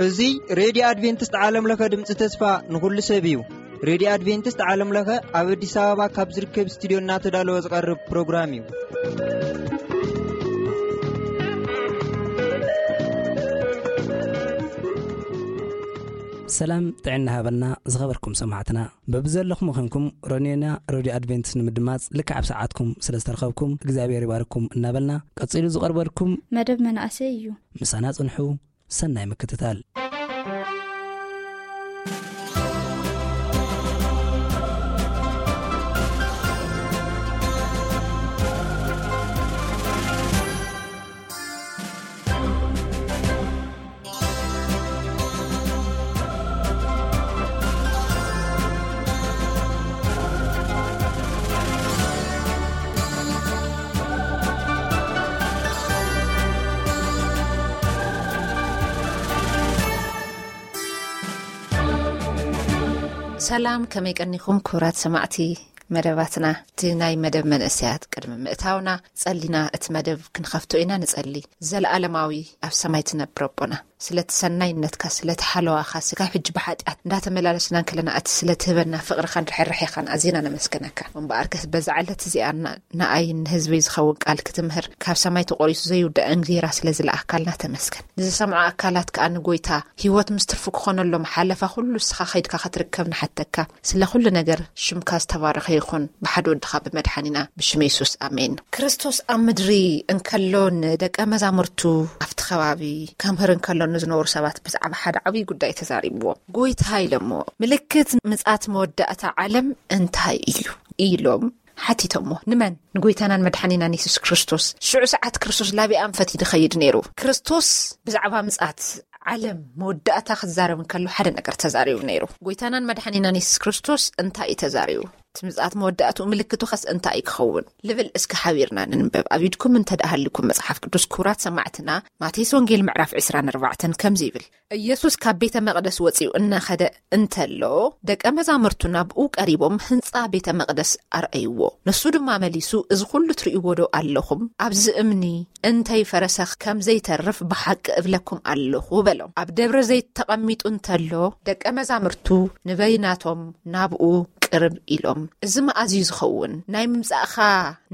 እዚ ሬድዮ ኣድቬንቲስት ዓለም ለኸ ድምፂ ተስፋ ንኹሉ ሰብ እዩ። ሬድዮ ኣድቬንቲስት ዓለም ለኸ ኣብ ኣዲስ ኣበባ ካብ ዝርከብ ስቱዲዮ እናተዳለወ ዝቐርብ ፕሮግራም እዩ። ሰላም ጥዕና ሃበልና ዝኸበርኩም ሰማዕትና። በብዘለኹም ኮንኩም ሮኔና ሬድዮ ኣድቬንቲስት ንምድማፅ ልክዕ ኣብ ሰዓትኩም ስለ ዝተረኸብኩም እግዚኣብሔር ይባርኩም እናበልና፣ ቀፂሉ ዝቐርበልኩም መደብ መናእሰይ እዩ። ምሳና ጽንሑ። ሰናይ ምክትታል። ሰላም፣ ከመይ ቀኒኹም ክቡራት ሰማዕቲ መደባትና? እቲ ናይ መደብ መንእሰያት ቅድሚ ምእታውና ጸሊና እቲ መደብ ክንኸፍቶ ኢና ንጸሊ። ዘለኣለማዊ ኣብ ሰማይ ትነብር ኣቦና፣ ስለቲ ሰናይነትካ፣ ስለቲ ሓለዋኻ፣ ስጋብ ሕጂ ብሓጢኣት እንዳተመላለስና እንከለና እቲ ስለትህበና ፍቕርኻን ርሕርሕኻን ኣዚና ነመስግነካ። እምበኣርከስ በዛ ዕለት እዚኣ ና-፣ ንኣይን ንህዝበይ ዝኸውን ቃል ክትምህር ካብ ሰማይ ተቖሪሱ ዘይውዳእ እንጌራ ስለ ዝለኣካልና ተመስገን። ንዝሰምዑ ኣካላት ከኣ ንጎይታ ህይወት ምስ ትርፉ ክኾነሎም ሓለፋ ኩሉ ንስኻ ከይድካ ክትርከብ ንሓተካ። ስለ ኩሉ ነገር ሽምካ ዝተባረኸ ይኹን፣ ብሓደ ወድኻ ብመድሓኒና ብሽም የሱስ ኣሜን። ክርስቶስ ኣብ ምድሪ እንከሎ ንደቀ መዛሙርቱ ኣብቲ ከባቢ ከምህር እንከሎ ንዝነበሩ ሰባት ብዛዕባ ሓደ ዓብዪ ጉዳይ ተዛሪብዎም። ጎይታ ኢሎሞ፣ ምልክት ምጻት መወዳእታ ዓለም እንታይ እዩ? ኢሎም ሓቲቶሞ። ንመን? ንጎይታናን መድሓኒናን የሱስ ክርስቶስ። ሽዑ ሰዓት ክርስቶስ ላቢኣም ፈትዩ ድኸይድ ነይሩ። ክርስቶስ ብዛዕባ ምጻት ዓለም መወዳእታ ክዛረብ እንከሎ ሓደ ነገር ተዛሪቡ ነይሩ። ጎይታናን መድሓኒናን የሱስ ክርስቶስ እንታይ እዩ ተዛሪቡ? እቲ ምጽኣት መወዳእትኡ ምልክቱ ኸስ እንታይ እዩ ክኸውን? ልብል እስከ ሓቢርና ንንበብ። ኣብ ኢድኩም እንተ ደኣ ሃልኩም መጽሓፍ ቅዱስ፣ ክቡራት ሰማዕትና፣ ማቴዎስ ወንጌል ምዕራፍ ዕስራን ኣርባዕተን ከምዚ ይብል፣ ኢየሱስ ካብ ቤተ መቕደስ ወጺኡ እናኸደ እንተሎ፣ ደቀ መዛሙርቱ ናብኡ ቀሪቦም ህንጻ ቤተ መቕደስ ኣርኣይዎ። ንሱ ድማ መሊሱ፣ "እዚ ኹሉ ትርእይዎ ዶ ኣለኹም? ኣብዚ እምኒ እንተይፈረሰ ከም ዘይተርፍ ብሓቂ እብለኩም ኣለኹ" በሎም። ኣብ ደብረ ዘይት ተቐሚጡ እንተሎ፣ ደቀ መዛሙርቱ ንበይናቶም ናብኡ ቅርብ ኢሎም፣ "እዚ መኣዝዩ ዝኸውን ናይ ምምጻእኻ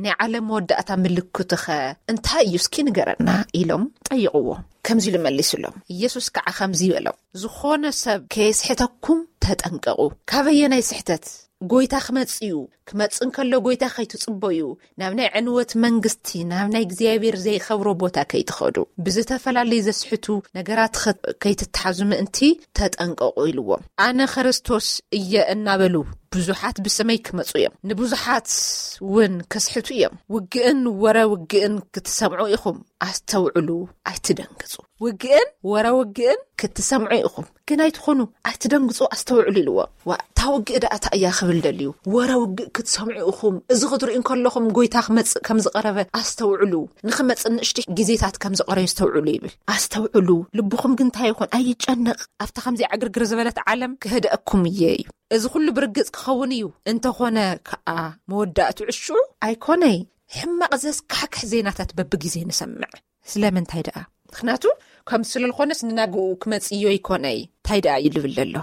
ናይ ዓለም መወዳእታ ምልክትኸ እንታይ እዩ? እስኪ ንገረና" ኢሎም ጠይቕዎ። ከምዚ ኢሉ መሊሱሎም። ኢየሱስ ከዓ ከምዚ በሎም፣ "ዝኾነ ሰብ ከየስሕተኩም ተጠንቀቑ። ካበየናይ ስሕተት? ጎይታ ክመጽእ እዩ። ክመጽእ እንከሎ ጎይታ ከይትጽበዩ፣ ናብ ናይ ዕንወት መንግስቲ፣ ናብ ናይ እግዚኣብሔር ዘይኸብሮ ቦታ ከይትኸዱ፣ ብዝተፈላለዩ ዘስሕቱ ነገራት ኸ-፣ ከይትተሓዙ ምእንቲ ተጠንቀቑ" ኢልዎም። "ኣነ ክርስቶስ እየ" እናበሉ ብዙሓት ብስመይ ክመጹ እዮም፣ ንብዙሓት እውን ክስሕቱ እዮም። ውግእን ወረ ውግእን ክትሰምዑ ኢኹም፣ ኣስተውዕሉ፣ ኣይትደንግጹ። ውግእን ወረ ውግእን ክትሰምዑ ኢኹም፣ ግን ኣይትኾኑ፣ ኣይትደንግጹ፣ ኣስተውዕሉ ኢልዎ። ዋ፣ እታ ውግእ ደኣ እታ እያ ክብል ደልዩ። ወረ ውግእ ክትሰምዑ ኢኹም፣ እዚ ክትርእዩ እንከለኹም ጎይታ ክመጽእ ከም ዝቐረበ ኣስተውዕሉ። ንኽመጽእ ንእሽተይ ግዜታት ከም ዝቐረዩ ኣስተውዕሉ ይብል። ኣስተውዕሉ፣ ልብኹም ግን እንታይ ይኹን፣ ኣይጨነቕ። ኣብታ ከምዚ ዕግርግር ዝበለት ዓለም ክህደኣኩም እየ እዩ። እዚ ኩሉ ብርግጽ ክኸውን እዩ። እንተኾነ ከኣ መወዳእቱ ዕሹ ኣይኮነይ። ሕማቕ ዘስካሕክሕ ዜናታት በብግዜ ንሰምዕ። ስለምንታይ ደኣ? ምኽንያቱ ከም ስለ ዝኾነስ ንናግኡ ክመጽእ እዮ ይኮነይ። እንታይ ደኣ እዩ ልብል ዘሎ?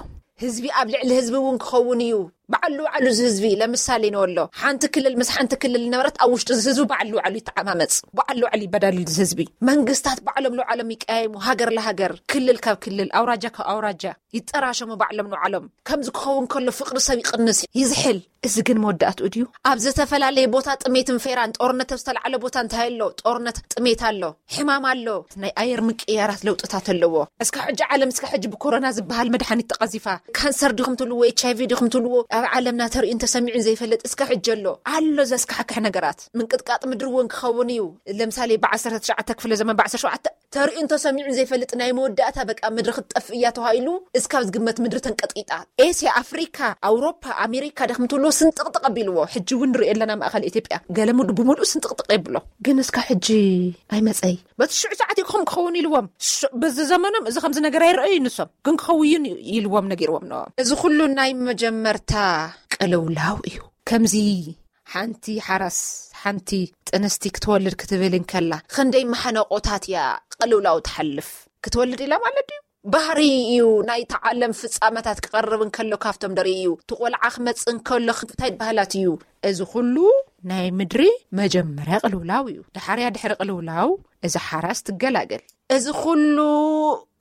ህዝቢ ኣብ ልዕሊ ህዝቢ እውን ክኸውን እዩ። በዓሉ ባዕሉ እዚ ህዝቢ ለምሳሌ ንወሎ ሓንቲ ክልል ምስ ሓንቲ ክልል ነበረት ኣብ ውሽጢ እዚ ህዝቢ በዓሉ ባዕሉ ይተዓማመጽ። በዓሉ ባዕሉ ይበዳልል እዚ ህዝቢ። መንግስታት ባዕሎም ንባዕሎም ይቀያየሙ። ሃገር ለሃገር፣ ክልል ካብ ክልል፣ ኣውራጃ ካብ ኣውራጃ ይጠራሸሙ ባዕሎም ንባዕሎም። ከምዚ ክኸውን ከሎ ፍቕሪ ሰብ ይቕንስ፣ ይዝሕል። እዚ ግን መወዳእትኡ ድዩ? ኣብ ዝተፈላለየ ቦታ ጥሜትን ፌራን፣ ጦርነት ኣብ ዝተላዕለ ቦታ እንታይ ኣሎ? ጦርነት፣ ጥሜት ኣሎ፣ ሕማም ኣሎ፣ ናይ ኣየር ምቅያራት ለውጥታት ኣለዎ። እስካብ ሕጂ ዓለም እስካብ ሕጂ ብኮሮና ዝበሃል መድሓኒት ተቐዚፋ። ካንሰር ዲኹም ትብልዎ፣ ኤች ኣይ ቪ ዲኹም ትብልዎ፣ ኣብ ዓለምና ተርእዩን ተሰሚዑን ዘይፈልጥ እስካብ ሕጂ ኣሎ። ኣሎ ዘስካሕክሕ ነገራት። ምንቅጥቃጥ ምድሪ እውን ክኸውን እዩ። ለምሳሌ ብ ዓሰርተ ትሽዓተ ክፍለ ዘመን፣ ብ ዓሰርተ ሸውዓተ ተርእዩን ተሰሚዑን ዘይፈልጥ ናይ መወዳእታ በቃ ምድሪ ክትጠፍእ እያ ተባሂሉ እስካብ ዝግመት ምድሪ ተንቀጥቂጣ። ኤስያ፣ ኣፍሪካ፣ ኣውሮፓ፣ ኣሜሪካ ዲኹም ትብልዎ ስንጥቕጥቕ ኣቢልዎ። ሕጂ እውን ንሪኦ ኣለና ማእኸል ኢትዮጵያ ገለ ሙሉ ብሙሉእ ስንጥቕጥቕ የብሎ። ግን እስካብ ሕጂ ኣይመጸይ። በቲ ሽዑ ሰዓት እዩ ክኸውን ክኸውን ኢልዎም። ሽ-፣ በዚ ዘመኖም እዚ ከምዚ ነገር ኣይረኣዩ ንሶም። ግን ክኸውን እዩ ኢልዎም ነጊርዎም ነበሮም። እዚ ኩሉ ናይ መጀመርታ ቅልውላው እዩ። ከምዚ ሓንቲ ሓራስ፣ ሓንቲ ጥንስቲ ክትወልድ ክትብል እንከላ፣ ክንደይ ማሕነቆታት እያ ቅልውላው ትሓልፍ። ክትወልድ ኢላ ማለት ድዩ? ባህሪ እዩ። ናይታ ዓለም ፍጻመታት ክቐርብ እንከሎ ካብቶም ደርኢ እዩ። እቲ ቆልዓ ክመጽእ እንከሎ እንታይ ባህላት እዩ? እዚ ኩሉ ናይ ምድሪ መጀመርያ ቅልውላው እዩ። ድሓርያ ድሕሪ ቅልውላው እዚ ሓራስ ትገላገል። እዚ ኩሉ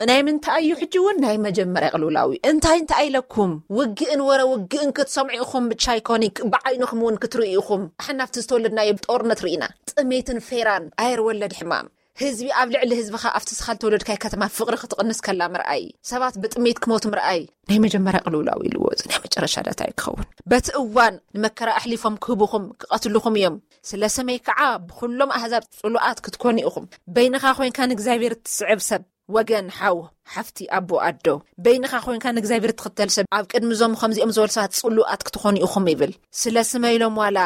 ናይ ምንታይ እዩ? ሕጂ እውን ናይ መጀመርያ ቅልውላው እዩ። እንታይ እንታይ ኢለኩም? ውግእን ወረ ውግእን ክትሰምዑ ኢኹም ብቻ ኣይኮነ፣ ብዓይንኹም እውን ክትርእዩ ኢኹም። ኣሕና ኣብቲ ዝተወለድናዮ ጦርነት ርኢና። ጥሜትን ፌራን፣ ኣየር ወለድ ሕማም። ህዝቢ ኣብ ልዕሊ ህዝብኻ ኣብቲ ስኻ ዝተወለድካይ ከተማ ፍቕሪ ክትቕንስ ከላ ምርኣይ፣ ሰባት ብጥሜት ክሞቱ ምርኣይ ናይ መጀመርያ ቅልውላው ኢልዎ። እዚ ናይ መጨረሻ ዳታ እዩ ክኸውን። በቲ እዋን ንመከራ ኣሕሊፎም ክህቡኹም፣ ክቐትልኹም እዮም። ስለ ስመይ ከዓ ብኹሎም ኣህዛብ ጽሉኣት ክትኮኑ ኢኹም። በይንኻ ኮይንካ ንእግዚኣብሔር እትስዕብ ሰብ፣ ወገን፣ ሓው፣ ሓፍቲ፣ ኣቦ፣ ኣዶ፣ በይንኻ ኮይንካ ንእግዚኣብሔር እትኽተል ሰብ፣ ኣብ ቅድሚ እዞም ከምዚኦም ዝበሉ ሰባት ጽሉኣት ክትኾኑ ኢኹም ይብል። ስለ ስመይ ኢሎም ዋላ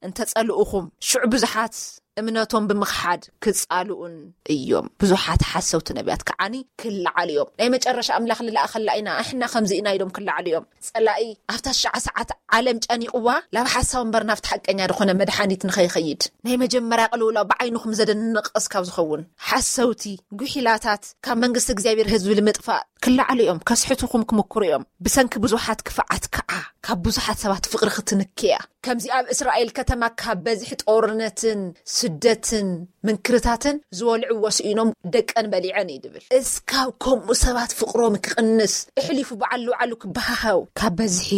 እንተጸልኡኹም፣ ሽዑ ብዙሓት እምነቶም ብምኽሓድ ክጻልኡን እዮም። ብዙሓት ሓሰውቲ ነቢያት ከዓኒ ክለዓሉ እዮም። ናይ መጨረሻ ኣምላኽ ልለኣኸላ ኢና፣ ኣሕና ከምዚ ኢና ኢሎም ክለዓሉ እዮም። ጸላኢ ኣብታ ሽዓ ሰዓት ዓለም ጨኒቕዋ፣ ናብ ሓሳው እምበር ናብቲ ሓቀኛ ዝኾነ መድሓኒት ንኸይኸይድ፣ ናይ መጀመርያ ቅልውላው ብዓይንኹም ዘደንቕ እስካብ ዝኸውን፣ ሓሰውቲ፣ ጉሒላታት፣ ካብ መንግስቲ እግዚኣብሔር ህዝቢ ንምጥፋእ ክለዓሉ እዮም። ከስሕቱኹም ክምክሩ እዮም። ብሰንኪ ብዙሓት ክፍዓት ከዓ ካብ ብዙሓት ሰባት ፍቕሪ ክትንኪ እያ። ከምዚ ኣብ እስራኤል ከተማ ካብ በዝሒ ጦርነትን ስደትን ምንክርታትን ዝበልዕዎ ስኢኖም ደቀን በሊዐን እዩ ድብል። እስካብ ከምኡ ሰባት ፍቕሮም ክቕንስ፣ እሕሊፉ በዓል ልውዓሉ ክበሃሃው፣ ካብ በዝሒ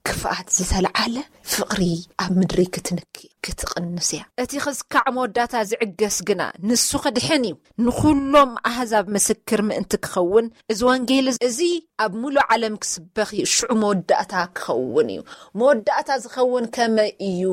ክፍኣት ዝተለዓለ ፍቕሪ ኣብ ምድሪ ክትንኪ ክትቕንስ እያ። እቲ ክስካዕ መወዳእታ ዝዕገስ ግና ንሱ ክድሕን እዩ፣ ንኹሎም ኣህዛብ ምስክር ምእንቲ ክኸውን፣ እዚ ወንጌል እዚ ኣብ ሙሉእ ዓለም ክስበኽ እዩ፣ ሽዑ መወዳእታ ክኸውን እዩ። መወዳእታ ዝኸውን ከመይ እዩ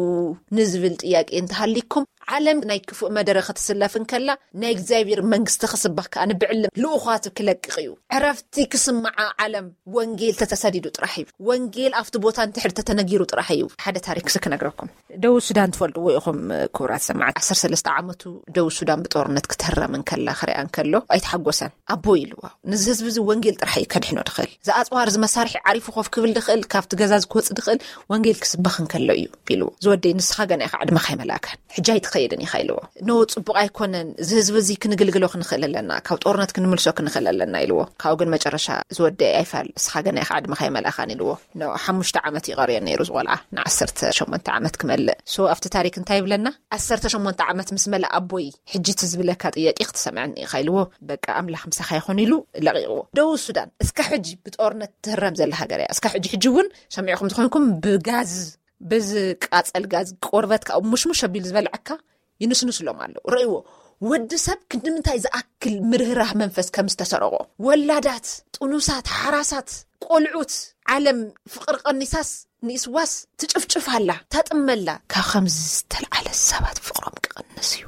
ንዝብል ጥያቄ እንተሃሊኩም፣ ዓለም ናይ ክፉእ መደረ ክትስለፍ እንከላ፣ ናይ እግዚኣብሔር መንግስቲ ክስበኽ ከኣ ንብዕልም ልኡኻቱ ክለቅቕ እዩ። ዕረፍቲ ክስምዓ ዓለም ወንጌል ተተሰዲዱ ጥራሕ እዩ። ወንጌል ኣብቲ ቦታ እንድሕር ተተነጊሩ ጥራሕ እዩ። ሓደ ታሪክ ክነግረኩም። ደቡብ ሱዳን ትፈልጥዎ ኢኹም ክቡራት ሰማዕቲ። ዓሰርተ ሰለስተ ዓመቱ ደቡብ ሱዳን ብጦርነት ክትህረም እንከላ ክሪኣ እንከሎ ኣይተሓጎሰን። ኣቦይ ኢልዎ፣ ነዚ ህዝቢ እዚ ወንጌል ጥራሕ እዩ ከድሕኖ ድኽእል። ዝኣጽዋር እዚ መሳርሒ ዓሪፉ ኮፍ ክብል ድኽእል፣ ካብቲ ገዛ እዚ ክወጽእ ድኽእል ወንጌል ክስበኽ እንከሎ እዩ ኢልዎ። ዝወደይ ንስኻ ገና ኢኻ ዕድመኻ ኣይመላእካን፣ ሕጂ ኣይትኸይድን ኢኻ ኢልዎ። ኖ ጽቡቕ ኣይኮነን፣ እዚ ህዝቢ እዚ ክንግልግሎ ክንኽእል ኣለና፣ ካብ ጦርነት ክንምልሶ ክንኽእል ኣለና ኢልዎ። ካብኡ ግን መጨረሻ ዝወደይ ኣይፋል፣ ንስኻ ገና ኢኻ ዕድመኻ ኣይመላእካን ኢልዎ። ኖ ሓሙሽተ ዓመት ይቐርዮ ነይሩ ዝቆልዓ፣ ንዓሰርተ ሸሞንተ ዓመት ክመልእ። ሶ ኣብቲ ታሪክ እንታይ ይብለና? ዓሰርተ ሸሞንተ ዓመት ምስ መለ ኣቦይ ሕጂ እቲ ዝብለካ ጥያቄ ክትሰምዐኒ ኢኻ ኢልዎ። በቃ ኣምላኽ ምሳኻ ይኹን ኢሉ ለቒቕዎ። ደቡብ ሱዳን እስካ ሕጂ ብጦርነት ትህረም ዘላ ሃገር እያ። እስካ ሕጂ ሕጂ እውን ሰሚዕኹም ዝኾንኩም ብጋዝ፣ ብዝቃጸል ጋዝ ቆርበትካ ሙሽሙሽ ኣቢሉ ዝበልዐካ ይንስንስሎም ኣለዉ። ረእይዎ፣ ወዲ ሰብ ክንዲ ምንታይ ዝኣክል ምርህራህ መንፈስ ከም ዝተሰረቆ። ወላዳት፣ ጥኑሳት፣ ሓራሳት፣ ቆልዑት፣ ዓለም ፍቕሪ ቀኒሳስ ንኢስዋስ ትጭፍጭፍ ኣላ፣ ታጥመላ። ካብ ከምዚ ዝተልዓለ ሰባት ፍቕሮም ክቕንስ እዩ።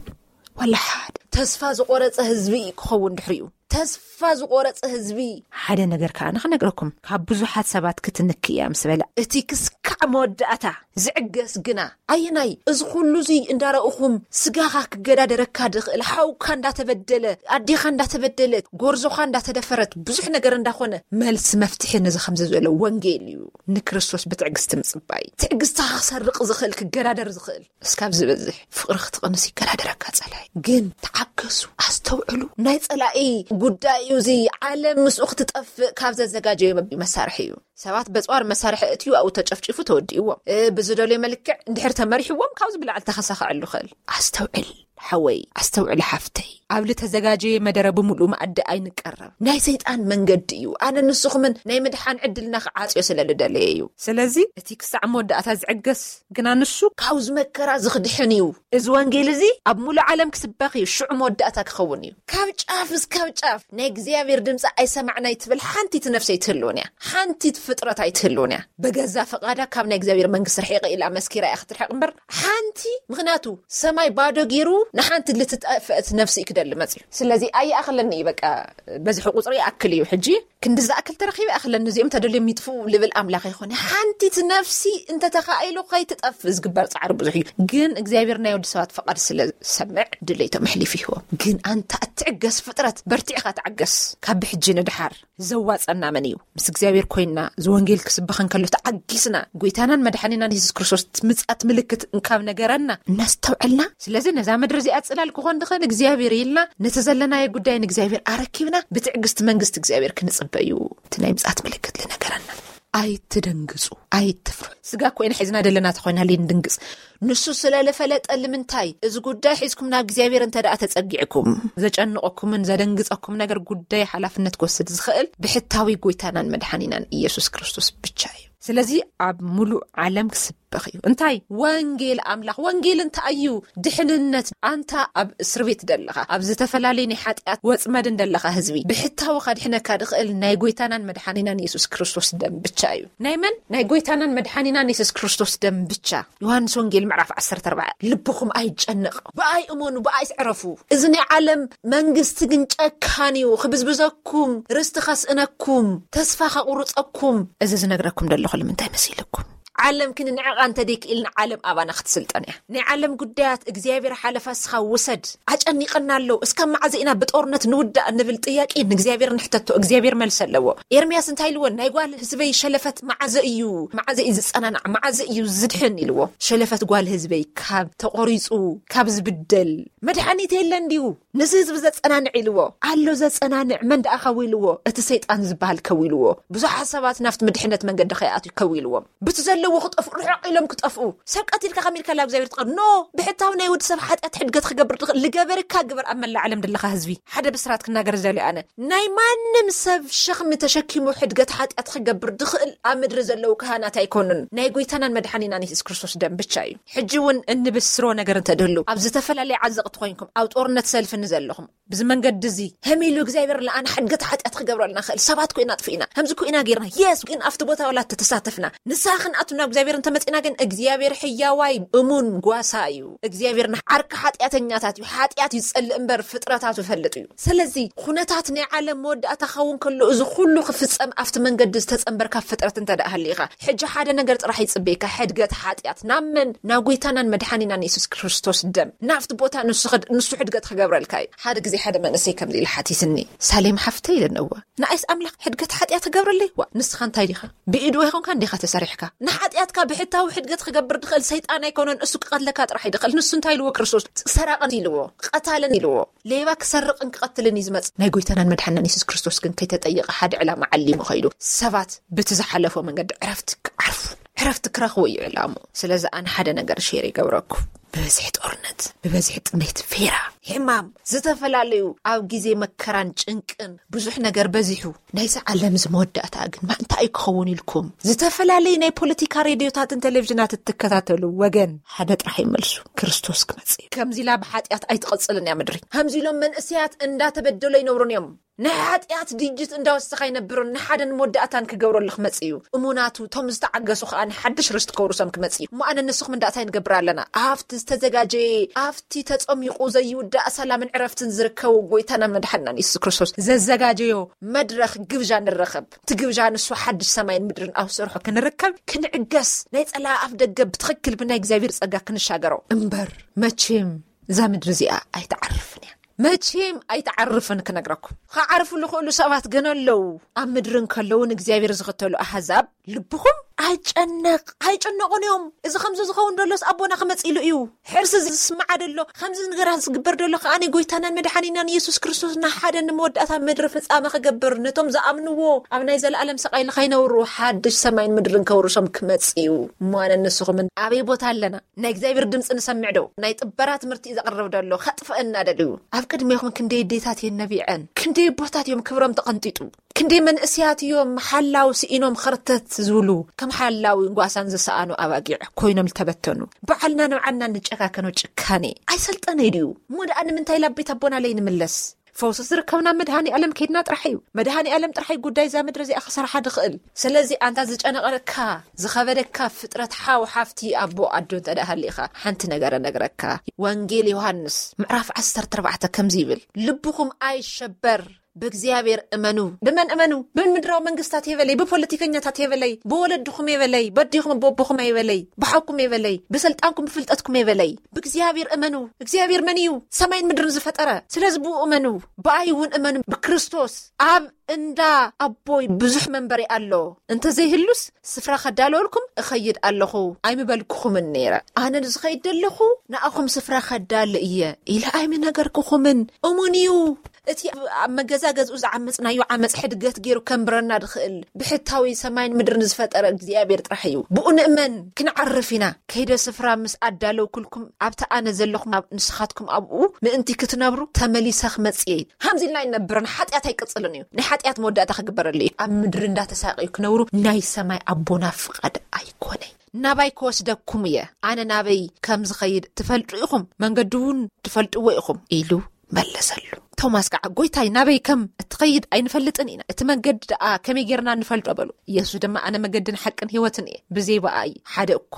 ወላ ሓደ ተስፋ ዝቆረጸ ህዝቢ እዩ ክኸውን ድሕሪኡ። ተስፋ ዝቆረጸ ህዝቢ። ሓደ ነገር ከኣ ንኽነግረኩም፣ ካብ ብዙሓት ሰባት ክትንክ እያ ምስ በለ፣ እቲ ክስካዕ መወዳእታ ዝዕገስ ግና ኣየናይ? እዚ ኩሉ እዚ እንዳረእኹም፣ ስጋኻ ክገዳደረካ ድኽእል፣ ሓውካ እንዳተበደለ፣ ኣዴኻ እንዳተበደለት፣ ጎርዞኻ እንዳተደፈረት፣ ብዙሕ ነገር እንዳኾነ፣ መልሲ መፍትሒ ነዚ ከምዚ ዝበለ ወንጌል እዩ። ንክርስቶስ ብትዕግስቲ ምጽባይ። ትዕግስቲ ክሰርቕ ዝኽእል፣ ክገዳደር ዝኽእል። እስካብ ዝበዝሕ ፍቕሪ ክትቕንስ ይገዳደረካ ጸላኢ። ግን ተዓገሱ፣ ኣስተውዕሉ። ናይ ጸላኢ ጉዳይ እዩ እዚ። ዓለም ምስኡ ክትጠፍእ ካብ ዘዘጋጀዮ መሳርሒ እዩ። ሰባት በጽዋር መሳርሒ እትዩ ኣብኡ ተጨፍጭፉ ተወዲእዎም። እ፣ ብዝደልዮ መልክዕ እንድሕር ተመሪሕዎም ካብዚ ብላዕሊ ተኸሳኸዐሉ ይኽእል። ኣስተውዕል ሓወይ፣ ኣስተውዕል ሓፍተይ። ኣብ ልተዘጋጀየ መደረ ብምሉእ መኣዲ ኣይንቀረብ። ናይ ሰይጣን መንገዲ እዩ። ኣነ ንስኹምን ናይ ምድሓን ዕድልና ክዓጽዮ ስለ ልደለየ እዩ። ስለዚ እቲ ክሳዕ መወዳእታ ዝዕገስ ግና ንሱ ካብዚ መከራ ዝኽድሕን እዩ። እዚ ወንጌል እዚ ኣብ ሙሉእ ዓለም ክስበኽ እዩ፣ ሽዑ መወዳእታ ክኸውን እዩ። ካብ ጫፍ እስካብ ጫፍ ናይ እግዚኣብሔር ድምፂ ኣይሰማዕናይ ትብል ሓንቲት ነፍሲ ኣይትህልውን እያ። ሓንቲት ፍጥረት ኣይትህልውን እያ። ብገዛ ፈቓዳ ካብ ናይ እግዚኣብሔር መንግስቲ ርሒቐ ኢላ መስኪራ እያ ክትርሕቕ እምበር ሓንቲ፣ ምኽንያቱ ሰማይ ባዶ ገይሩ ንሓንቲ ልትጠፍአት ነፍሲ እዩ ክደሊ መፅዩ። ስለዚ ኣይኣኽለኒ እዩ፣ በቃ በዝሒ ቁፅሪ ይኣክል እዩ። ሕጂ ክንዲ ዝኣክል ተረኺበ ይኣኽለኒ፣ እዚኦም ተደልዮም ይጥፍኡ ልብል ኣምላኽ ይኾነ። ሓንቲት ነፍሲ እንተተኻኢሉ ከይትጠፍ ዝግበር ፃዕሪ ብዙሕ እዩ። ግን እግዚኣብሔር ናይ ወዲ ሰባት ፍቓድ ስለ ዝሰምዕ ድሌቶም ኣሕሊፉ ይህቦም። ግን ኣንታ እትዕገስ ፍጥረት፣ በርቲዕኻ ተዓገስ። ካብ ብሕጂ ንድሓር ዘዋፀና መን እዩ? ምስ እግዚኣብሔር ኮይንና ዝወንጌል ክስበኸ እንከሎ ተዓጊስና፣ ጎይታናን መድሓኒናን የሱስ ክርስቶስ ምጻት ምልክት እንካብ ነገረና እናስተውዐልና። ስለዚ ነዛ ምድሪ እዚኣ ጽላል ክኾን ድኸን እግዚኣብሔር ኢልና ነቲ ዘለናዮ ጉዳይ ንእግዚኣብሔር ኣረኪብና ብትዕግስቲ መንግስቲ እግዚኣብሔር ክንጽበ እዩ። እቲ ናይ ምጻት ምልክት ልነገረና። ኣይትደንግጹ፣ ኣይትፍርሑ። ስጋ ኮይና ሒዝና ደለና ተኾይና ልንድንግጽ። ንሱ ስለ ልፈለጠ ልምንታይ እዚ ጉዳይ ሒዝኩም ናብ እግዚኣብሔር እንተ ደኣ ተጸጊዕኩም፣ ዘጨንቐኩምን ዘደንግጸኩም ነገር ጉዳይ ሓላፍነት ክወስድ ዝኽእል ብሕታዊ ጎይታናን መድሓኒናን ኢየሱስ ክርስቶስ ብቻ እዩ። ስለዚ ኣብ ሙሉእ ዓለም ክስበኽ እዩ። እንታይ? ወንጌል ኣምላኽ። ወንጌል እንታይ እዩ? ድሕንነት። ኣንታ ኣብ እስር ቤት ደለኻ፣ ኣብ ዝተፈላለዩ ናይ ሓጢኣት ወጽመድን ደለኻ ህዝቢ፣ ብሕታዊ ከድሕነካ ድኽእል ናይ ጎይታናን መድሓኒናን ኢየሱስ ክርስቶስ ደም ብቻ እዩ። ናይ መን? ናይ ጎይታናን መድሓኒናን ኢየሱስ ክርስቶስ ደም ብቻ። ዮሃንስ ወንጌል ምዕራፍ ዓሰርተ ኣርባዕተ፣ ልብኹም ኣይጨነቕ፣ ብኣይ እመኑ፣ ብኣይ ስዕረፉ። እዚ ናይ ዓለም መንግስቲ ግን ጨካን እዩ፣ ክብዝብዘኩም፣ ርስቲ ከስእነኩም፣ ተስፋ ከቑርጸኩም። እዚ ዝነግረኩም ዘለኹ ንምንታይ መሲልኩም? ዓለም ክንንዕቓ እንተ ደይክኢልና ዓለም ኣባና ክትስልጠን እያ። ናይ ዓለም ጉዳያት እግዚኣብሔር ሓለፋ እስኻ ውሰድ። ኣጨኒቐና ኣሎ። እስካብ መዓዘ ኢና ብጦርነት ንውዳእ እንብል ጥያቄ ንእግዚኣብሔር ንሕተቶ። እግዚኣብሔር መልሲ ኣለዎ። ኤርምያስ እንታይ ኢልዎ? ናይ ጓል ህዝበይ ሸለፈት መዓዘ እዩ? መዓዘ እዩ ዝጸናናዕ? መዓዘ እዩ ዝድሕን? ኢልዎ። ሸለፈት ጓል ህዝበይ ካብ ተቖሪጹ፣ ካብ ዝብደል መድሓኒት የለን ድዩ? ነዚ ህዝቢ ዘጸናንዕ ኢልዎ ኣሎ። ዘጸናንዕ መን ደኣ ከዊልዎ? እቲ ሰይጣን ዝበሃል ከዊልዎ። ብዙሓት ሰባት ናብቲ ምድሕነት መንገዲ ከይኣትዩ ከዊልዎም። ብቲ ዘለዎ ክጠፍኡ፣ ርሕቕ ኢሎም ክጠፍኡ። ሰብ ቀቲልካ ከሚልካ ላ እግዚኣብሔር ትቐር። ኖ፣ ብሕታዊ ናይ ወዲ ሰብ ሓጢኣት ሕድገት ክገብር ድኽእል ልገበርካ ግበር። ኣብ መላእ ዓለም ድለኻ ህዝቢ፣ ሓደ ብስራት ክናገር ዘልዮ ኣነ። ናይ ማንም ሰብ ሸኽሚ ተሸኪሙ ሕድገት ሓጢኣት ክገብር ድኽእል ኣብ ምድሪ ዘለዉ ካህናት ኣይኮኑን። ናይ ጎይታናን መድሓኒናን የሱስ ክርስቶስ ደም ብቻ እዩ። ሕጂ እውን እንብስሮ ነገር እንተድህሉ፣ ኣብ ዝተፈላለየ ዓዘቕቲ ኮይንኩም፣ ኣብ ጦርነት ሰልፊ ንዘለኹም፣ ብዚ መንገዲ እዚ ህም ኢሉ እግዚኣብሔር ለኣነ ሕድገት ሓጢኣት ክገብረልና ክእል ሰባት ኮይና ኣጥፍኢና፣ ከምዚ ኮይና ጌርና። የስ፣ ግን ኣብቲ ቦታ ዋላ ተተሳተፍና፣ ንስኻ ክንኣቱ ናብ እግዚኣብሔር እንተመጺና ግን እግዚኣብሔር ሕያዋይ እሙን ጓሳ እዩ። እግዚኣብሔር ንዓርኪ ሓጢኣተኛታት እዩ። ሓጢኣት እዩ ዝጸልእ እምበር ፍጥረታቱ ይፈልጥ እዩ። ስለዚ ኩነታት ናይ ዓለም መወዳእታ ክኸውን ከሎ፣ እዚ ኩሉ ክፍጸም ኣብቲ መንገዲ ዝተጸንበርካ ፍጥረት እንተ ደኣ ሃሊኻ፣ ሕጂ ሓደ ነገር ጥራሕ ይጽበየካ፣ ሕድገት ሓጢኣት። ናብ መን? ናብ ጎይታናን መድሓኒናን የሱስ ክርስቶስ ደም። ናብቲ ቦታ ንሱ ክድ-፣ ንሱ ሕድገት ክገብረልካ እዩ። ሓደ ግዜ ሓደ መንእሰይ ከምዚ ኢሉ ሓቲትኒ፣ "ሳሌም ሓፍተይ" ኢለ ነዋ። "ንኣይስ ኣምላኽ ሕድገት ሓጢኣት ክገብረለይ? ዋ፣ ንስኻ እንታይ ዲኻ? ብኢዱ ኣይኮንካ እንዲኻ ተሰሪሕካ? ንሓጢኣትካ ብሕታዊ ሕድገት ክገብር ድኽእል ሰይጣን ኣይኮነን፣ እሱ ክቐትለካ ጥራሕ እዩ ድኽእል። ንሱ እንታይ ኢልዎ ክርስቶስ? ሰራቕን ኢልዎ፣ ቀታልን ኢልዎ። ሌባ ክሰርቕን ክቐትልን እዩ ዝመጽእ። ናይ ጎይታናን መድሓናን የሱስ ክርስቶስ ግን ከይተጠየቐ ሓደ ዕላማ ዓሊሙ ኸይዱ። ሰባት ብቲ ዝሓለፎ መንገዲ ዕረፍቲ ክዓርፉ፣ ዕረፍቲ ክረኽቡ እዩ ዕላሙ። ስለዚ ኣነ ሓደ ነገር ሼር ይገብረኩም። ብበዝሒ ጦርነት፣ ብበዝሒ ጥሜት፣ ፌራ፣ ሕማም፣ ዝተፈላለዩ ኣብ ግዜ መከራን ጭንቅን ብዙሕ ነገር በዚሑ። ናይዚ ዓለም እዚ መወዳእታ ግን ማ እንታይ እዩ ክኸውን ኢልኩም? ዝተፈላለዩ ናይ ፖለቲካ ሬድዮታትን ቴሌቪዥናት እትከታተሉ ወገን፣ ሓደ ጥራሕ ይመልሱ፣ ክርስቶስ ክመጽእ እዩ። ከምዚ ኢላ ብሓጢኣት ኣይትቐጽልን እያ ምድሪ። ከምዚ ኢሎም መንእሰያት እንዳተበደሉ ኣይነብሩን እዮም። ናይ ሓጢኣት ድጅት እንዳወሰኸ ኣይነብርን። ንሓደን መወዳእታን ክገብረሉ ክመጽእ እዩ። እሙናቱ፣ እቶም ዝተዓገሱ ከኣ ንሓድሽ ርስቲ ከውርሶም ክመጽእ እዩ። እሞ ኣነ ንስኹም እንዳእታይ ንገብር ኣለና? ኣብቲ ዝተዘጋጀየ፣ ኣብቲ ተጸሚቑ ዘይውዳእ ሰላምን ዕረፍትን ዝርከቡ ጎይታናን መድሓንናን የሱስ ክርስቶስ ዘዘጋጀዮ መድረኽ ግብዣ ንረኸብ። እቲ ግብዣ ንሱ ሓድሽ ሰማይን ምድርን ኣብ ሰርሖ ክንርከብ ክንዕገስ፣ ናይ ጸላኢ ኣፍ ደገ ብትኽክል ብናይ እግዚኣብሔር ጸጋ ክንሻገሮ እምበር፣ መቼም እዛ ምድሪ እዚኣ ኣይትዓርፍን እያ። መቼም ኣይትዓርፍን ክነግረኩም። ክዓርፉ ዝኽእሉ ሰባት ግን ኣለዉ። ኣብ ምድሪ እንከለዉ ንእግዚኣብሔር ዝኽተሉ ኣህዛብ ልብኹም ኣይጨነቕ፣ ኣይጨነቑን እዮም። እዚ ከምዚ ዝኸውን ደሎስ ኣቦና ክመጽእ ኢሉ እዩ። ሕርሲ ዝስምዓ ደሎ፣ ከምዚ ነገራት ዝግበር ደሎ ከኣ ናይ ጎይታናን መድሓኒናን ኢየሱስ ክርስቶስ ንሓደ ንመወዳእታ ምድሪ ፍጻመ ክገብር፣ ነቶም ዝኣምንዎ ኣብ ናይ ዘለኣለም ስቓይ ንኸይነብሩ ሓድሽ ሰማይን ምድርን ከውርሶም ክመጽእ እዩ። እሞ ኣነ ንስኹምን ኣበይ ቦታ ኣለና? ናይ እግዚኣብሔር ድምፂ ንሰምዕ ዶ? ናይ ጥበራ ትምህርቲ እዩ ዘቕርብ ደሎ፣ ከጥፍአና ደልዩ። ኣብ ቅድሜኹም ክንደይ ኣዴታት እየን ነቢዐን፣ ክንደይ ኣቦታት እዮም ክብሮም ተቐንጢጡ፣ ክንደይ መንእሰያት እዮም ሓላው ስኢኖም ኸርተት ዝብሉ፣ ከም ሓላዊ ጓሳን ዝሰኣኑ ኣባጊዕ ኮይኖም ዝተበተኑ። ባዕልና ንባዕልና ንጨካከኖ ጭካኔ ኣይሰልጠነ ድዩ? እሞ ደኣ ንምንታይ ላብ ቤት ኣቦና ለይንምለስ? ፈውሲ ዝርከብ ናብ መድሃኒ ኣለም ከይድና ጥራሕ እዩ። መድሃኒ ኣለም ጥራሕ እዩ ጉዳይ እዛ ምድሪ እዚኣ ክሰርሓ ድኽእል። ስለዚ ኣንታ ዝጨነቐረካ ዝኸበደካ ፍጥረት ሓው ሓፍቲ ኣቦ ኣዶ እንተ ደኣ ሃሊኻ ሓንቲ ነገር ነግረካ። ወንጌል ዮሃንስ ምዕራፍ ዓሰርተ ኣርባዕተ ከምዚ ይብል፣ ልብኹም ኣይሸበር፣ ብእግዚኣብሔር እመኑ። ብመን እመኑ? ብምድራዊ መንግስታት የበለይ፣ ብፖለቲከኛታት የበለይ፣ ብወለድኹም የበለይ፣ በዲኹም በቦኹም የበለይ፣ ብሓውኩም የበለይ፣ ብስልጣንኩም ብፍልጠትኩም የበለይ። ብእግዚኣብሔር እመኑ። እግዚኣብሔር መን እዩ? ሰማይን ምድርን ዝፈጠረ። ስለዚ ብኡ እመኑ። ብኣይ እውን እመኑ። ብክርስቶስ ኣብ እንዳ ኣቦይ ብዙሕ መንበሪ ኣሎ። እንተዘይህሉስ ስፍራ ከዳለወልኩም እኸይድ ኣለኹ ኣይምበልኩኹምን ነይረ። ኣነ ዝኸይድ ዘለኹ ንኣኹም ስፍራ ከዳል እየ ኢለ ኣይምነገርኩኹምን። እሙን እዩ። እቲ ኣብ መገዛ ገዝኡ ዝዓመፅናዮ ዓመፅ ሕድገት ገይሩ ከንብረና ድኽእል ብሕታዊ ሰማይን ምድርን ዝፈጠረ እግዚኣብሔር ጥራሕ እዩ። ብኡ ንእመን። ክንዓርፍ ኢና። ከይደ ስፍራ ምስ ኣዳለውኩልኩም ኣብቲ ኣነ ዘለኹም ኣብ ንስኻትኩም ኣብኡ ምእንቲ ክትነብሩ ተመሊሰ ክመፅእ እየ። ሃምዚ ኢልና ኣይንነብርን። ሓጢኣት ኣይቅፅልን እዩ። ናይ ሓጢኣት መወዳእታ ክግበረሉ እዩ። ኣብ ምድሪ እንዳተሳቀዩ ክነብሩ ናይ ሰማይ ኣቦና ፍቓድ ኣይኮነይ። ናባይ ክወስደኩም እየ። ኣነ ናበይ ከም ዝኸይድ ትፈልጡ ኢኹም፣ መንገዲ እውን ትፈልጥዎ ኢኹም ኢሉ መለሰሉ። ቶማስ ከዓ፣ ጎይታይ፣ ናበይ ከም እትኸይድ ኣይንፈልጥን ኢና። እቲ መንገዲ ደኣ ከመይ ጌርና ንፈልጦ? በሉ። ኢየሱስ ድማ፣ ኣነ መገድን ሓቅን ህይወትን እየ። ብዘይ ብኣይ ሓደ እኳ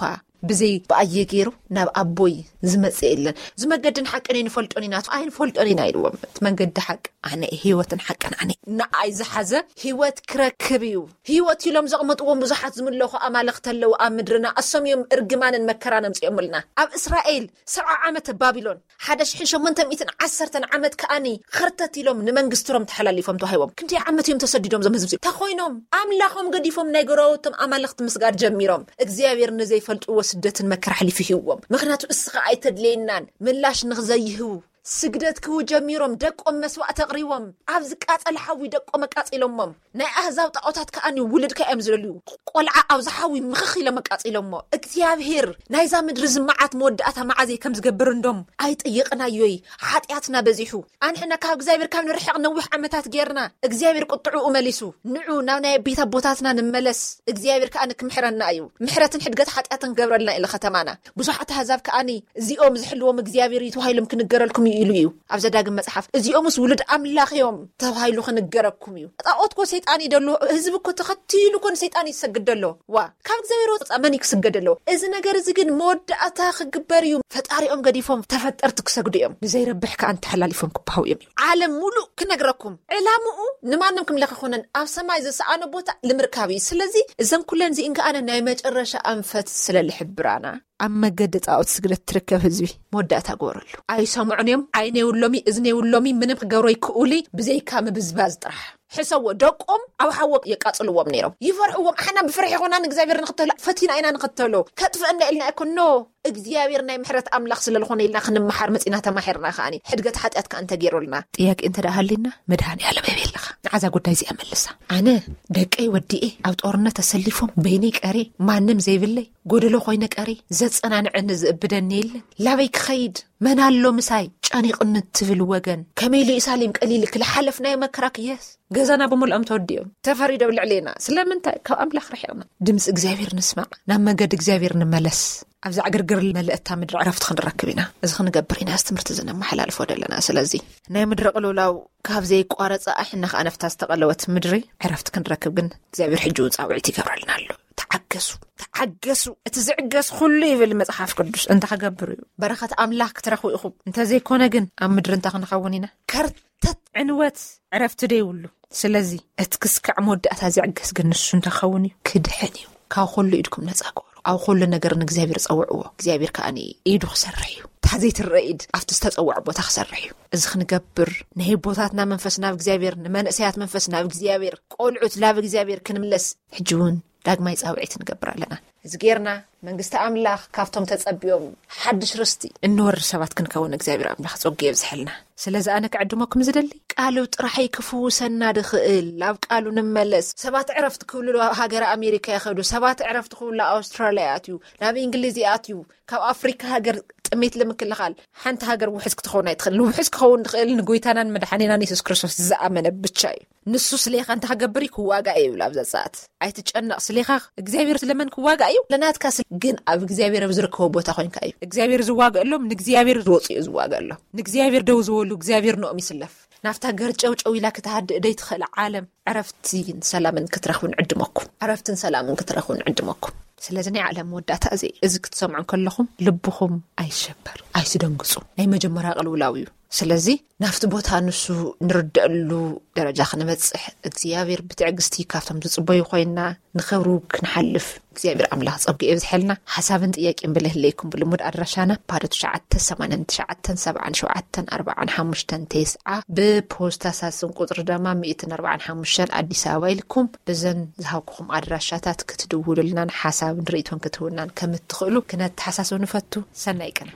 ብዘይ ብኣየ ገይሩ ናብ ኣቦይ ዝመጽእ የለን። እዚ መገድን ሓቅን ኣይንፈልጦን ኢና፣ ኣይንፈልጦን ኢና ኢልዎም። እቲ መንገዲ ሓቂ ኣነ፣ ህይወትን ሓቅን ኣነ። ንኣይ ዝሓዘ ህይወት ክረክብ እዩ። ህይወት ኢሎም ዘቕምጥዎም ብዙሓት ዝምለኹ ኣማልኽቲ ኣለዉ ኣብ ምድርና። እሶም እዮም እርግማንን መከራን ኣምጺኦምልና። ኣብ እስራኤል ሰብዓ ዓመት ባቢሎን፣ ሓደ ሽሕን ሸሞንተ ሚእትን ዓሰርተን ዓመት ከኣኒ ኸርተት ኢሎም ንመንግስቲ ሮም ተሓላሊፎም ተዋሂቦም። ክንደይ ዓመት እዮም ተሰዲዶም እዞም ህዝቢ እዚኦም? ተኾይኖም ኣምላኾም ገዲፎም ናይ ጎረባብቶም ኣማልኽቲ ምስጋድ ጀሚሮም። እግዚኣብሔር ንዘይፈልጥዎ ስደትን መከራ ኣሕሊፉ ሂብዎም። ምኽንያቱ እስኻ ኣይተድልየናን ምላሽ ንኽዘይህቡ ስግደት ክህቡ ጀሚሮም። ደቆም መስዋዕቲ ኣቕሪቦም ኣብ ዝቃጸል ሓዊ ደቆም ኣቃጺሎሞም። ናይ ኣህዛብ ጣዖታት ከኣኒ ውሉድካ እዮም ዝደልዩ። ቆልዓ ኣብዚ ሓዊ ምኽኽ ኢሎም ኣቃጺሎሞ። እግዚኣብሔር ናይዛ ምድሪ ዝመዓት መወዳእታ መዓዘይ ከም ዝገብር እንዶም ኣይጠየቕናዮይ። ሓጢኣትና በዚሑ። ኣንሕና ካብ እግዚኣብሔር ካብ ንርሕቕ ነዊሕ ዓመታት ጌርና። እግዚኣብሔር ቁጥዕኡ መሊሱ። ንዑ ናብ ናይ ቤት ኣቦታትና ንመለስ። እግዚኣብሔር ከኣ ንክምሕረና እዩ። ምሕረትን ሕድገት ሓጢኣትን ክገብረልና ኢለ ከተማና። ብዙሓት ኣህዛብ ከኣኒ እዚኦም ዝሕልዎም እግዚኣብሔር እዩ ተባሂሎም ክንገረልኩም እዩ ኢሉ እዩ። ኣብ ዘዳግም መጽሓፍ፣ እዚኦምስ ውሉድ ኣምላኽ እዮም ተባሂሉ ክንገረኩም እዩ። ጣዖት እኮ ሰይጣን እዩ ደሎ። ህዝቢ እኮ ተኸቲሉ እኮ ንሰይጣን እዩ ዝሰግድ ደሎ። ዋ፣ ካብ እግዚኣብሔር ወፃእ መን እዩ ክስገድ ደሎ? እዚ ነገር እዚ ግን መወዳእታ ክግበር እዩ። ፈጣሪኦም ገዲፎም ተፈጠርቲ ክሰግዱ እዮም። ንዘይረብሕ ከኣ እንተሓላሊፎም ክበሃው እዮም። ዓለም ሙሉእ ክነግረኩም፣ ዕላምኡ ንማንም ክምለኽ ኣይኮነን። ኣብ ሰማይ ዝሰኣኖ ቦታ ንምርካብ እዩ። ስለዚ እዘን ኩለን እዚእን ከኣነ ናይ መጨረሻ ኣንፈት ስለ ልሕብራና፣ ኣብ መገዲ ጣዖት ስግደት ትርከብ ህዝቢ መወዳእታ ግበረሉ። ኣይሰምዑን እዮም። ዓይነ የብሎሚ፣ እዝኒ የብሎሚ፣ ምንም ክገብሩ ኣይክእሉ፣ ብዘይካ ምብዝባዝ ጥራሕ። ሕሰዎ፣ ደቆም ኣብ ሓዎ የቃጽልዎም ነይሮም። ይፈርሕዎም። ኣሕና ብፍርሒ ይኾና ንእግዚኣብሔር ንኽተሎ፣ ፈቲና ኢና ንኽተሎ። ከጥፍእና ኢልና ኣይኮን። ኖ፣ እግዚኣብሔር ናይ ምሕረት ኣምላኽ ስለ ዝኾነ ኢልና ክንመሓር መጺና ተማሒርና። ከኣኒ ሕድገት ሓጢኣት ከኣ እንተገይሩልና። ጥያቄ እንተ ደኣ ሃልዩና፣ መድሃኔ ዓለም ኣበይ ኣለኻ? ንዓዛ ጉዳይ እዚኣ መልሳ። ኣነ ደቀይ ወዲኤ ኣብ ጦርነት ተሰሊፎም በይነይ ቀሬ፣ ማንም ዘይብለይ፣ ጎደሎ ኮይነ ቀሬ፣ ዘጸናንዐኒ ዝእብደኒ የለን። ላበይ ክኸይድ? መን ኣሎ ምሳይ? ጨኒቕኒ እትብል ወገን፣ ከመይ ኢሉ ኢየሩሳሌም ቀሊልኪ? ዝሓለፍናዮ መከራክ፣ የስ፣ ገዛና ብምልኦም ተወዲኦም፣ ተፈሪዶም ልዕሌና። ስለምንታይ? ካብ ኣምላኽ ርሒቕና። ድምፂ እግዚኣብሔር ንስማዕ፣ ናብ መገዲ እግዚኣብሔር ንመለስ። ኣብዛ ዕግርግር መለእታ ምድሪ ዕረፍቲ ክንረክብ ኢና። እዚ ክንገብር ኢና እዚ ትምህርቲ እዚ ነመሓላልፎ ዘለና። ስለዚ ናይ ምድሪ ቅልውላው ካብ ዘይቋረጸ፣ ኣሕና ከኣ ነፍታ ዝተቐለወት ምድሪ ዕረፍቲ ክንረክብ ግን እግዚኣብሔር ሕጂ እውን ጻውዒት ይገብረልና ኣሎ። ተዓገሱ፣ ተዓገሱ። እቲ ዝዕገስ ኩሉ ይብል መጽሓፍ ቅዱስ፣ እንታይ ክገብር እዩ? በረኸት ኣምላኽ ክትረኽቡ ኢኹም። እንተዘይኮነ ግን ኣብ ምድሪ እንታይ ክንኸውን ኢና? ከርተት፣ ዕንወት፣ ዕረፍቲ ደይብሉ። ስለዚ እቲ ክስካዕ መወዳእታ ዝዕገስ ግን ንሱ እንታይ ክኸውን እዩ? ክድሕን እዩ። ካብ ኩሉ ኢድኩም ነጻ ግበሩ። ኣብ ኩሉ ነገር ንእግዚኣብሔር ጸውዕዎ። እግዚኣብሔር ከኣ ኢዱ ክሰርሕ እዩ። እታ ዘይትረአ ኢድ ኣብቲ ዝተጸውዐ ቦታ ክሰርሕ እዩ። እዚ ክንገብር ንህቦታትና መንፈስ ናብ እግዚኣብሔር፣ ንመንእሰያት መንፈስ ናብ እግዚኣብሔር፣ ቆልዑት ናብ እግዚኣብሔር ክንምለስ ሕጂ እውን ዳግማይ ጻውዒት ንገብር ኣለና። እዚ ጌርና መንግስቲ ኣምላኽ ካብቶም ተጸቢዮም ሓድሽ ርስቲ እንወርስ ሰባት ክንከውን እግዚኣብሔር ኣምላኽ ጸጉ የብዝሐልና። ስለዚ ኣነ ክዕድመኩም ዝደሊ ቃሉ ጥራሕይ ክፍውሰና ድኽእል። ኣብ ቃሉ ንመለስ። ሰባት ዕረፍቲ ክብሉ ኣብ ሃገረ ኣሜሪካ ይኸዱ። ሰባት ዕረፍቲ ክብሉ ኣብ ኣውስትራልያ ይኣትዩ፣ ናብ እንግሊዝ ይኣትዩ። ካብ ኣፍሪካ ሃገር ጥሜት ንምክልኻል ሓንቲ ሃገር ውሕስ ክትኸውን ኣይትኽእል። ንውሕስ ክኸውን ዝኽእል ንጎይታናን መድሓኒናን የሱስ ክርስቶስ ዝኣመነ ብቻ እዩ። ንሱ ስሌኻ እንታይ ክገብር እዩ? ክዋጋእ እዩ ይብል ኣብዛ ሰዓት። ኣይትጨነቕ፣ ስሌኻ እግዚኣብሔር ስለመን ክዋጋእ እዩ? ለናትካ ስለ ግን ኣብ እግዚኣብሔር ኣብ ዝርከቦ ቦታ ኮይንካ እዩ እግዚኣብሔር ዝዋገእሎም። ንእግዚኣብሔር ዝወፁ እዩ ዝዋገእሎም። ንእግዚኣብሔር ደው ዝበሉ እግዚኣብሔር ንኦም ይስለፍ። ናብታ ገርጨው ጨው ኢላ ክትሃድእ ደይትኽእል ዓለም ዕረፍትን ሰላምን ክትረኽቡ ንዕድመኩም። ዕረፍትን ሰላምን ክትረኽቡ ንዕድመኩም። ስለዚ ናይ ዓለም መወዳእታ እዚ እዩ። እዚ ክትሰምዑ ከለኹም ልብኹም ኣይሸበር፣ ኣይትደንግጹ። ናይ መጀመርያ ቅልውላው እዩ። ስለዚ ናብቲ ቦታ ንሱ ንርደአሉ ደረጃ ክንበጽሕ እግዚኣብሔር ብትዕግስቲ ካብቶም ዝጽበዩ ኮይና ንኽብሩ ክንሓልፍ እግዚኣብሔር ኣምላኽ ጸጉ የብዝሐልና። ሓሳብን ጥያቄን ብለህለይኩም ብልሙድ ኣድራሻና ባዶ ትሽዓተ ሰማንያን ትሽዓተን ሰብዓን ሸውዓተን ኣርባዓን ሓሙሽተን ተስዓ ብፖስታ ሳስን ቁጽሪ ደማ ሚእትን ኣርባዓን ሓሙሽተን ኣዲስ ኣበባ ኢልኩም ብዘን ዝሃብኩኹም ኣድራሻታት ክትድውሉልናን ሓሳብን ርእይቶን ክትህቡናን ከም እትኽእሉ ክነተሓሳስብ ንፈቱ። ሰናይ ቅነ።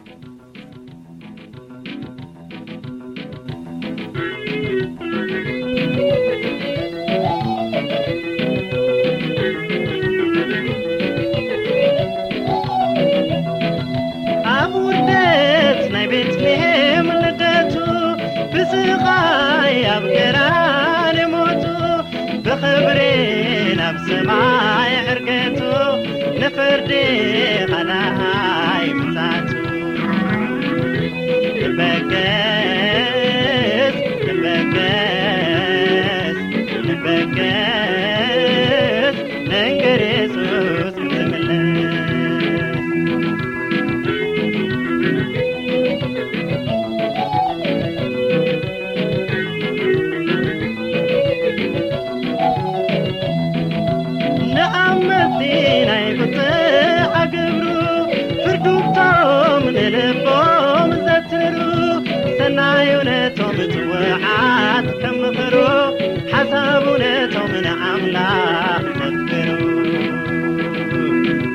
ኣብ ውርደት ናይ ቤትልሔም ልደቱ፣ ብስቓይ ኣብ ገራን ሞቱ፣ ብኽብሪ ናብ ሰማይ ዕርገቱ፣ ንፍርዲ ኻልኣይ ምጻቱ። ንበገስ፣ ንበገስ፣ ንበገስ፣ ንንገር የሱስ ዝምለስ። ንኣመንቲ ናይ ቁጥዓ ግብሩ፣ ፍርዱቶም ንልቦም ዘትሩ፣ ሰናዩ ነቶም ጽውዓት ከም ምኽሩ፣ ሓሳቡ ነቶም ንኣምላኽ ዘፍቅሩ።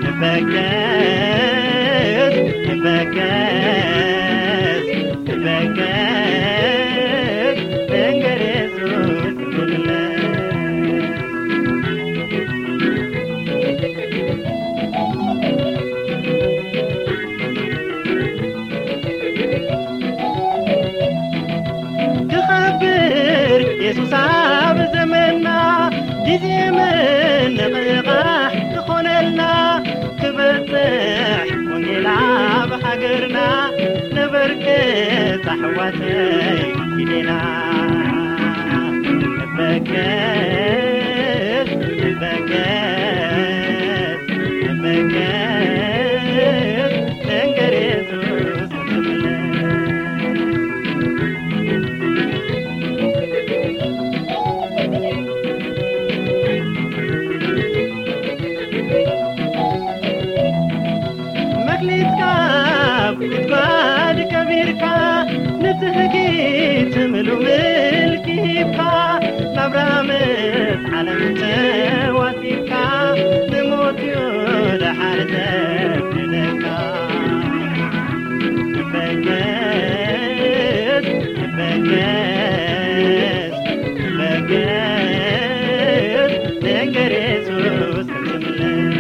ንበገስ፣ ንበገስ፣ ንበገስ፣ ንንገር የሱስ ዝምለስ። ክኸብር የሱስ ኣብ ዘመንና፣ ግዜ ምንቕቓሕ ክኾነልና፣ ክበጽሕ ወንጌል ኣብ ሃገርና፣ ነበርክት ኣሕዋተይ ኪዴና። ንበገስ፣ ንበገስ፣ ንበገስ፣ ንንገር የሱስ ዝምለስ። መክሊትካ ኣብ ጉድጓድ ቀቢርካ፣ ንትህጊት ምሉ ምልኪ ሂብካ፣ ናብራ ምስ ዓለም ተዋሲብካ፣ ንሞት እዩ ደሓር ዘፍርደካ። ንበገስ፣ ንበገስ፣ ንበገስ፣ ንንገር የሱስ ዝምለስ።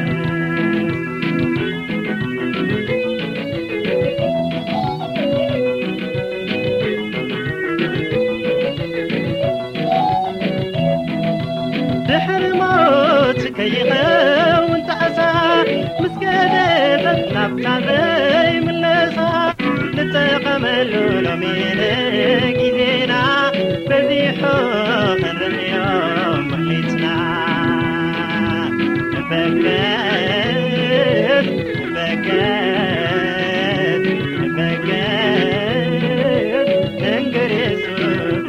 ድሕሪ ሞት ከይኸውን ጣዕሳ፣ ምስ ከደተት ናብታ ዘይምለሳ፣ ንጠቐመሉ ሎሚ ንግዜና፣ በዚሑ ክንርእዮ ምኽሊትና። ንበገስ፣ ንበገስ፣ ንበገስ፣ ንንገር የሱስ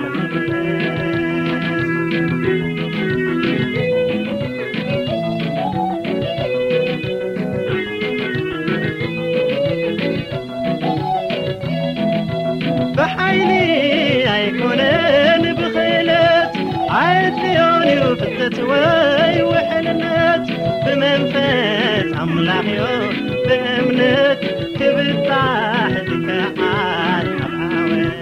ብሓይሊ ኣይኮነን ብኽእለት፣ ኣየድልዮን እዩ ፍልጠት ወይ ውሕልነት። ብመንፈስ ኣምላኽ እዩ ብእምነት ክብጻሕ ዝከኣል ኣብ ዓወት።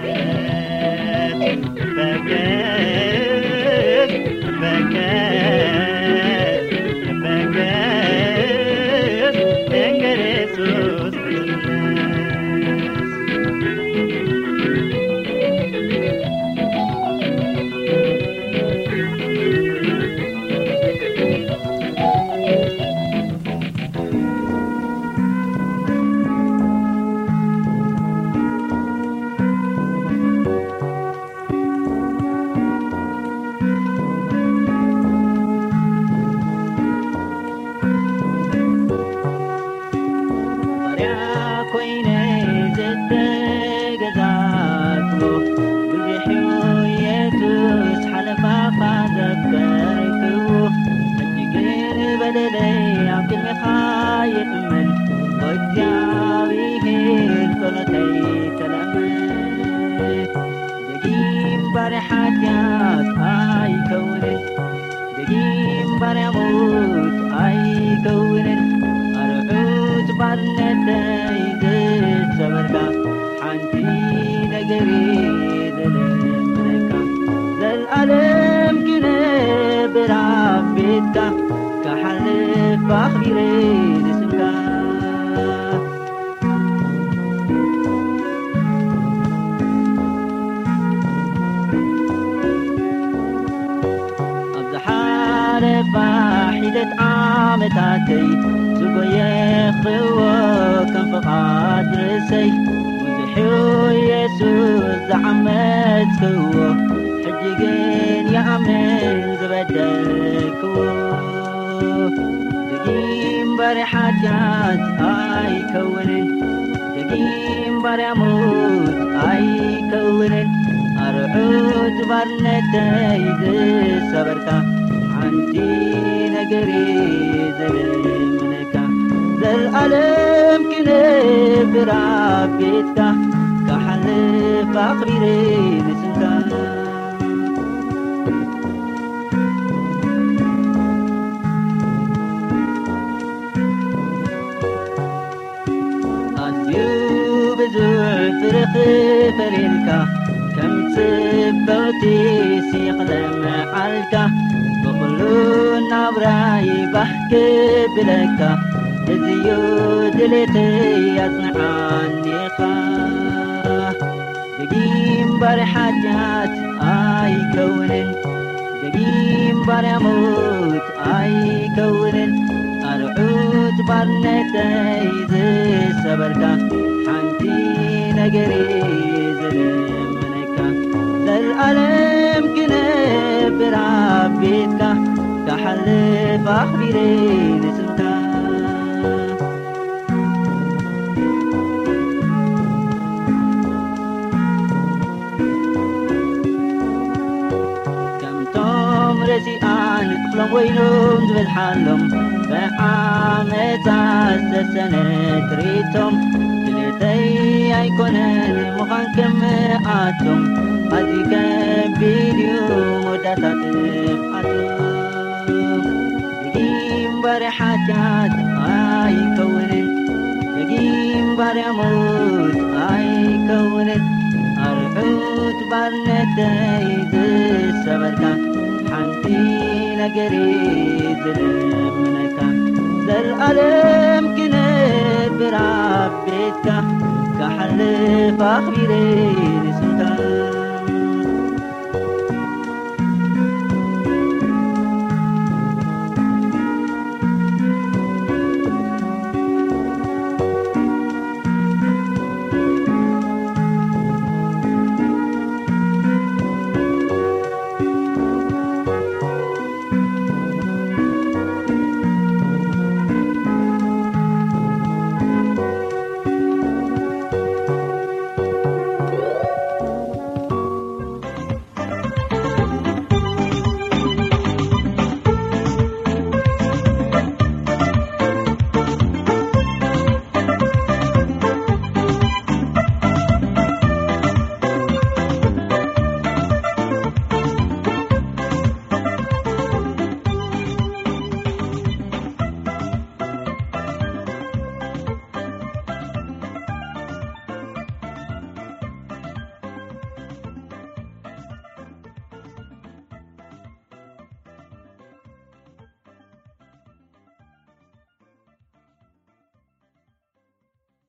በገስ፣ በገስ፣ በገስ፣ ንንገር የሱስ ባርያ ኮይነ ዝተገዛእክዎ፣ ብዙሕ እዩ የሱስ ሓለፋኻ ዘፍቀርክዎ። ሕጂ ግን በደለይ ኣብ ቅድሜኻ ይእመን፣ ወእግዚኣብሔር ጸሎተይ ተለምን። ደጊም ባርያ ሓጢኣት ኣይከውንን፣ ደጊም ባርያ ሞት ኣይከውንን። ኣርዑት ባርነተይ ዝሰበርካ፣ ሓንቲ ነገር እየ ዝልምነካ። ዘልኣለም ክነብር ኣብ ቤትካ፣ ክሓልፍ ኣኽቢረ ንስምካ። ኣብ ዝሓለፋ ሒደት ዓመታተይ ዝጎየኽዎ ከም ፍቓድ ርእሰይ፣ ብዙሕ እዩ የሱስ ዝዓመጽክዎ፣ ሕጂ ግን ይኣምን ዝበደልክዎ። ደጊም ባርያ ሓጢኣት ኣይከውንን፣ ደጊም ባርያ ሞት ኣይከውንን። ኣርዑት ባርነተይ ዝሰበርካ፣ ሓንቲ ነገር እየ ዝልምነካ። ዘልኣለም ክነብር ኣብ ቤትካ፣ ክሓልፍ ኣኽቢረ ንስምካ። ኣዝዩ ብዙሕ ፍርኺ ፈሪርካ፣ ከም ጽብቕቲ ሲቕለ መዓልካ፣ ብኹሉ ናብራይ ባህ ክብለካ፣ እዚዩ ድሌተይ ኣጽንዓኒኻ። ደጊም ባርያ ሓጢኣት ኣይከውንን፣ ደጊም ባርያ ሞት ኣይከውንን። ኣርዑት ባርነተይ ዝሰበርካ፣ ሓንቲ ነገር እየ ዝልምነካ። ዘልኣለም ክነብር ኣብ ቤትካ፣ ክሓልፍ ኣኽቢረ ንስምካ። ከምቶም ረሲኣን እኽሎም ወይኖም ዝበዝሓሎም፣ ብዓመጻ ዝተሰነ ጥሪቶም፣ ድሌተይ ኣይኮነን ምዃን ከምኣቶም፣ ኣዝዩ ከቢድ እዩ መወዳእታ ጥፍኣቶም። ደጊም ባርያ ሓጢኣት ኣይከውንን፣ ደጊም ባርያ ሞት ኣይከውንን። ኣርዑት ባርነተይ ዝሰበርካ፣ ሓንቲ ነገር እየ ዝልምነካ። ዘልኣለም ክነብር ኣብ ቤትካ፣ ክሓልፍ ኣኽቢረ